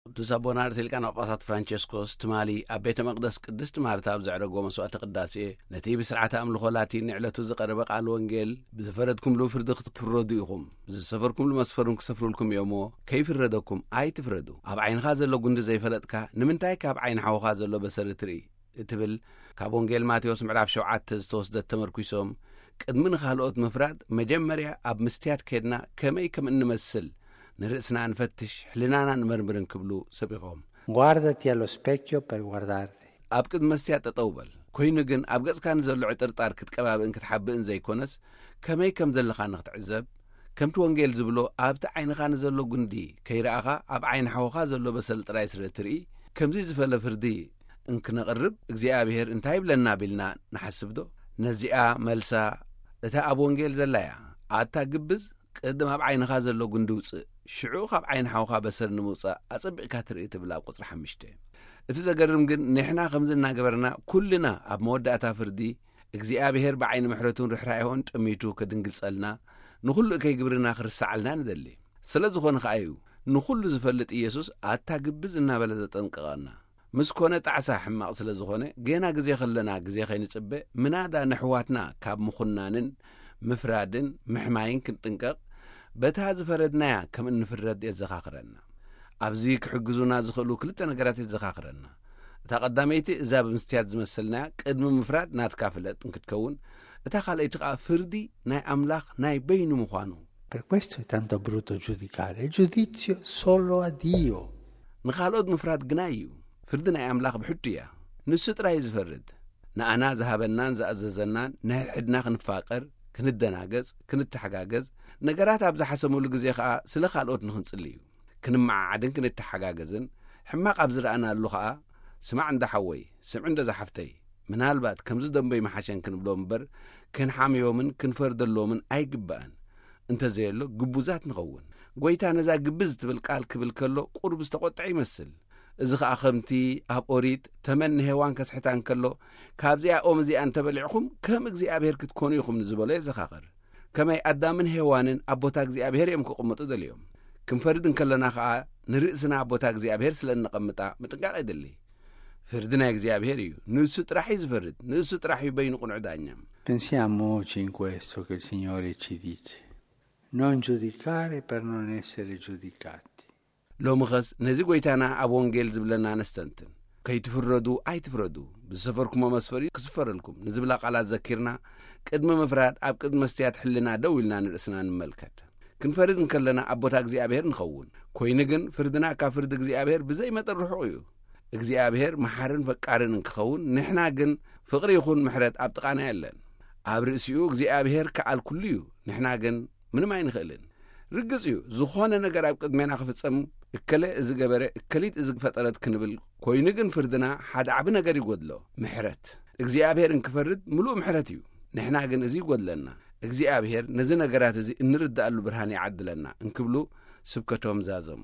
ቅዱስ ኣቦና ርእሰ ሊቃነ ጳጳሳት ፍራንቸስኮስ ትማሊ ኣብ ቤተ መቕደስ ቅድስት ማርታ ኣብ ዘዕረጎ መስዋዕተ ቅዳሴ፣ ነቲ ብስርዓተ ኣምልኾ ላቲን ንዕለቱ ዝቐረበ ቃል ወንጌል፣ "ብዝፈረድኩምሉ ፍርዲ ክትፍረዱ ኢኹም፣ ብዝሰፈርኩምሉ መስፈርን ክሰፍሩልኩም እዮም እሞ፣ ከይፍረደኩም ኣይትፍረዱ። ኣብ ዓይንኻ ዘሎ ጉንዲ ዘይፈለጥካ፣ ንምንታይ ካብ ዓይኒ ሓውኻ ዘሎ በሰሪ ትርኢ?" እትብል ካብ ወንጌል ማቴዎስ ምዕራፍ ሸውዓተ ዝተወስደት ተመርኲሶም፣ ቅድሚ ንኻልኦት ምፍራድ መጀመርያ ኣብ ምስትያት ከድና ከመይ ከም እንመስል ንርእስና ንፈትሽ፣ ሕልናና ንመርምር እንክብሉ ሰቢኾም። Guardati allo specchio per guardarti. ኣብ ቅድሚ መስትያት ጠጠው በል። ኮይኑ ግን ኣብ ገጽካ ንዘሎ ዕጥርጣር ክትቀባብእን ክትሓብእን ዘይኮነስ፣ ከመይ ከም ዘለኻ ንክትዕዘብ፣ ከምቲ ወንጌል ዝብሎ፣ ኣብቲ ዓይንኻ ንዘሎ ጉንዲ ከይረኣኻ ኣብ ዓይኒ ሓውኻ ዘሎ በሰል ጥራይ ስለ ትርኢ፣ ከምዚ ዝፈለ ፍርዲ እንክነቕርብ እግዚኣብሔር እንታይ ይብለና ቢልና ንሓስብ ዶ? ነዚኣ መልሳ እታ ኣብ ወንጌል ዘላ እያ። ኣታ ግብዝ፣ ቅድም ኣብ ዓይንኻ ዘሎ ጉንዲ ውጽእ፣ ሽዑ ካብ ዓይኒ ሓውኻ በሰል ንምውጻእ ኣጸቢቕካ ትርኢ ትብል ኣብ ቁጽሪ ሓሙሽተ። እቲ ዘገርም ግን ንሕና ከምዚ እናገበርና ኩልና ኣብ መወዳእታ ፍርዲ እግዚኣብሔር ብዓይኒ ምሕረቱን ርሕራኄኡን ጠሚቱ ክድንግጸልና ንኹሉ እከይ ግብርና ክርስዓልና ንደሊ። ስለ ዝኾነ ከኣ እዩ ንኹሉ ዝፈልጥ ኢየሱስ ኣታ ግብዝ እናበለ ዘጠንቅቐና። ምስ ኮነ ጣዕሳ ሕማቕ ስለ ዝኾነ፣ ጌና ግዜ ከለና ግዜ ከይንጽበ፣ ምናዳ ነሕዋትና ካብ ምኹናንን ምፍራድን ምሕማይን ክንጥንቀቕ፣ በታ ዝፈረድናያ ከም እንፍረድ የዘኻኽረና። ኣብዚ ክሕግዙና ዝኽእሉ ክልተ ነገራት የዘኻኽረና። እታ ቀዳመይቲ እዛ ብምስትያት ዝመሰልናያ ቅድሚ ምፍራድ ናትካ ፍለጥ እንክትከውን፣ እታ ካልኣይቲ ከኣ ፍርዲ ናይ ኣምላኽ ናይ በይኑ ምዃኑ። Per questo è tanto brutto giudicare. Il giudizio solo a Dio. ንኻልኦት ምፍራድ ግናይ እዩ። ፍርዲ ናይ ኣምላኽ ብሕቱ እያ። ንሱ ጥራይ እዩ ዝፈርድ። ንኣና ዝሃበናን ዝኣዘዘናን ንሕድሕድና ክንፋቀር፣ ክንደናገጽ፣ ክንተሓጋገዝ፣ ነገራት ኣብ ዝሓሰሙሉ ግዜ ኸኣ ስለ ካልኦት ንኽንጽሊ እዩ። ክንመዓዓድን ክንተሓጋገዝን፣ ሕማቕ ኣብ ዝረኣናሉ ኸኣ፣ "ስማዕ እንዳ ሓወይ፣ ስምዒ እንዳ ዝሓፍተይ፣ ምናልባት ከምዚ ደንበይ መሓሸን" ክንብሎም እምበር፣ ክንሓምዮምን ክንፈርደሎምን ኣይግባእን። እንተዘየሎ ግቡዛት ንኸውን። ጐይታ ነዛ ግብዝ ትብል ቃል ክብል ከሎ ቁሩብ ዝተቖጥዐ ይመስል። እዚ ኸኣ ከምቲ ኣብ ኦሪት ተመን ንሄዋን ከስሕታ እንከሎ፣ "ካብዚኣ ኦም እዚኣ እንተበሊዕኹም ከም እግዚኣብሔር ክትኮኑ ኢኹም" ንዝበሎ የዘኻኽር። ከመይ ኣዳምን ሄዋንን ኣብ ቦታ እግዚኣብሔር እዮም ክቕመጡ ደልዮም። ክንፈርድ እንከለና ኸኣ ንርእስና ኣብ ቦታ እግዚኣብሔር ስለ እነቐምጣ ምጥንቃቕ የድሊ። ፍርዲ ናይ እግዚኣብሔር እዩ። ንሱ ጥራሕ እዩ ዝፈርድ። ንሱ ጥራሕ እዩ በይኑ ቅኑዕ ዳኛ። Pensiamoci in questo che il Signore ci dice: "Non giudicare per non essere giudicati." ሎሚ ኸስ ነዚ ጐይታና ኣብ ወንጌል ዝብለና ነስተንትን። "ከይትፍረዱ ኣይትፍረዱ፣ ብዝሰፈርኩሞ መስፈሪ ክስፈረልኩም" ንዝብላ ቃላት ዘኪርና፣ ቅድሚ ምፍራድ ኣብ ቅድሚ መስትያት ሕልና ደው ኢልና ንርእስና ንመልከት። ክንፈርድ እንከለና ኣብ ቦታ እግዚኣብሔር ንኸውን። ኮይኑ ግን ፍርድና ካብ ፍርዲ እግዚኣብሔር ብዘይ መጠን ርሑቕ እዩ። እግዚኣብሔር መሓርን ፈቃርን እንክኸውን፣ ንሕና ግን ፍቕሪ ይኹን ምሕረት ኣብ ጥቓና የለን። ኣብ ርእሲኡ እግዚኣብሔር ከኣል ኩሉ እዩ፣ ንሕና ግን ምንም ኣይንኽእልን። ርግጽ እዩ፣ ዝኾነ ነገር ኣብ ቅድሜና ክፍጸም፣ "እከለ እዚ ገበረ፣ እከሊት እዚ ፈጠረት" ክንብል፣ ኮይኑ ግን ፍርድና ሓደ ዓቢ ነገር ይጎድሎ፣ ምሕረት። እግዚኣብሔር እንክፈርድ ምሉእ ምሕረት እዩ፣ ንሕና ግን እዚ ይጎድለና። እግዚኣብሔር ነዚ ነገራት እዚ እንርድኣሉ ብርሃን ይዓድለና እንክብሉ ስብከቶም ዛዘሙ።